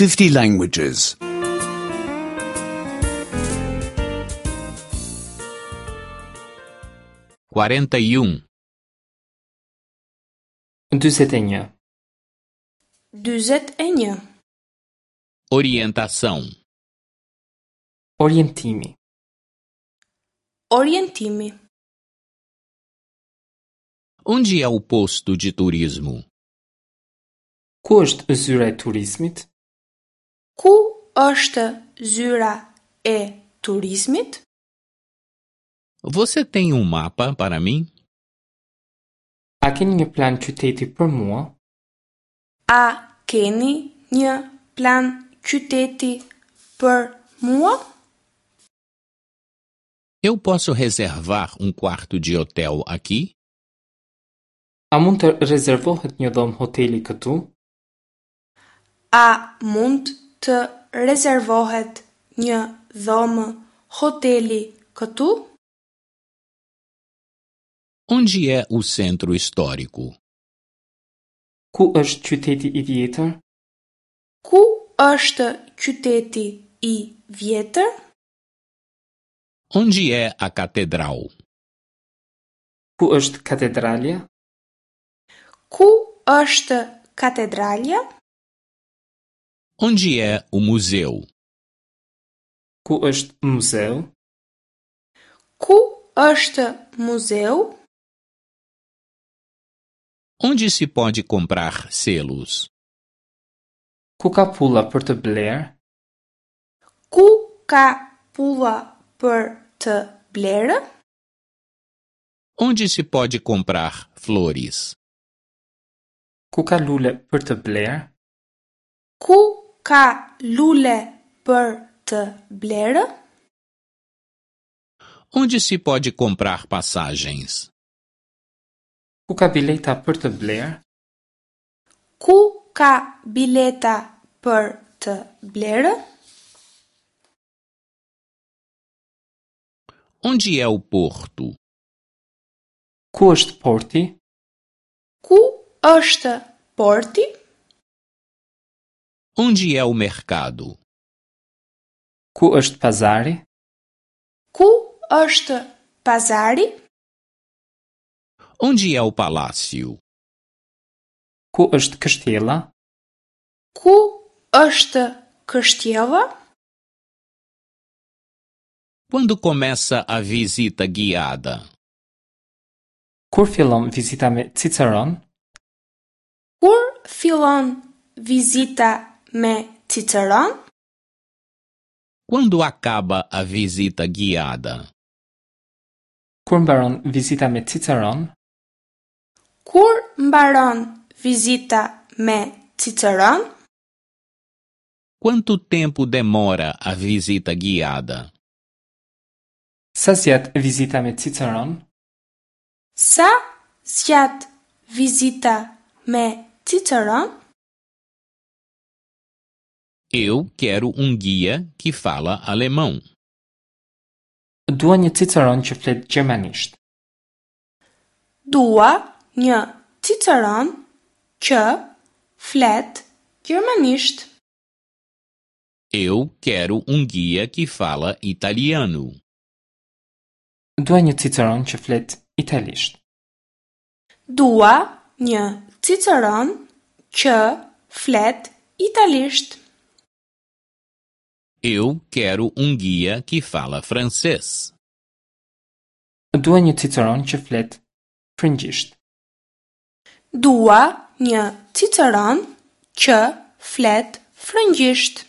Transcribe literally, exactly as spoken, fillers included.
fifty languages. quarenta e um, dyzet e një, dyzet e një, Orientação. Orientimi, Orientimi. Onde é o posto de turismo? Ku është zyra e turizmit? Ku është zyra e turizmit? Você tem um mapa para mim? A keni një plan qyteti për mua? A keni një plan qyteti për mua? Eu posso reservar um quarto de hotel aqui? A mund të rezervohet një dhomë hoteli këtu? A mund të rezervohet një dhomë hoteli këtu? Onde é o centro histórico? Ku është qyteti i vjetër? Ku është qyteti i vjetër? Onde é a catedral? Ku është katedralja? Ku është katedralja? Onde é o museu? Ku është muzeu? Ku është muzeu? Onde se pode comprar selos? Ku ka pulla për të blerë? Ku ka pulla për të blerë? Onde se pode comprar flores? Ku ka lule për të blerë? Ku ka lule për të blerë? Onde se pode comprar passagens? Ku ka bileta për të blerë? Ku ka bileta për të blerë? Onde é o porto? Ku është porti? Ku është porti? Onde é o mercado? Ku është pazari? Ku është pazari? Onde é o palácio? Ku është kështjella? Ku është kështjella? Quando começa a visita guiada? Kur fillon vizita me Ciceron? Kur fillon vizita me Ciceron? Quando acaba a visita guiada? Kur mbaron vizita me Ciceron? Kur mbaron vizita me Ciceron? Quanto tempo demora a visita guiada? Sa zgjat vizita me Ciceron? Sa zgjat vizita me Ciceron? Eu quero um guia que fala alemão. Dua një Ciceron që flet gjermanisht. Dua një Ciceron që flet gjermanisht. Eu quero um guia que fala italiano. Dua një Ciceron që flet italisht. Dua një Ciceron që flet italisht. Eu quero um guia que fala francês. Dua një Ciceron që flet frëngjisht. Dua një Ciceron që flet frëngjisht.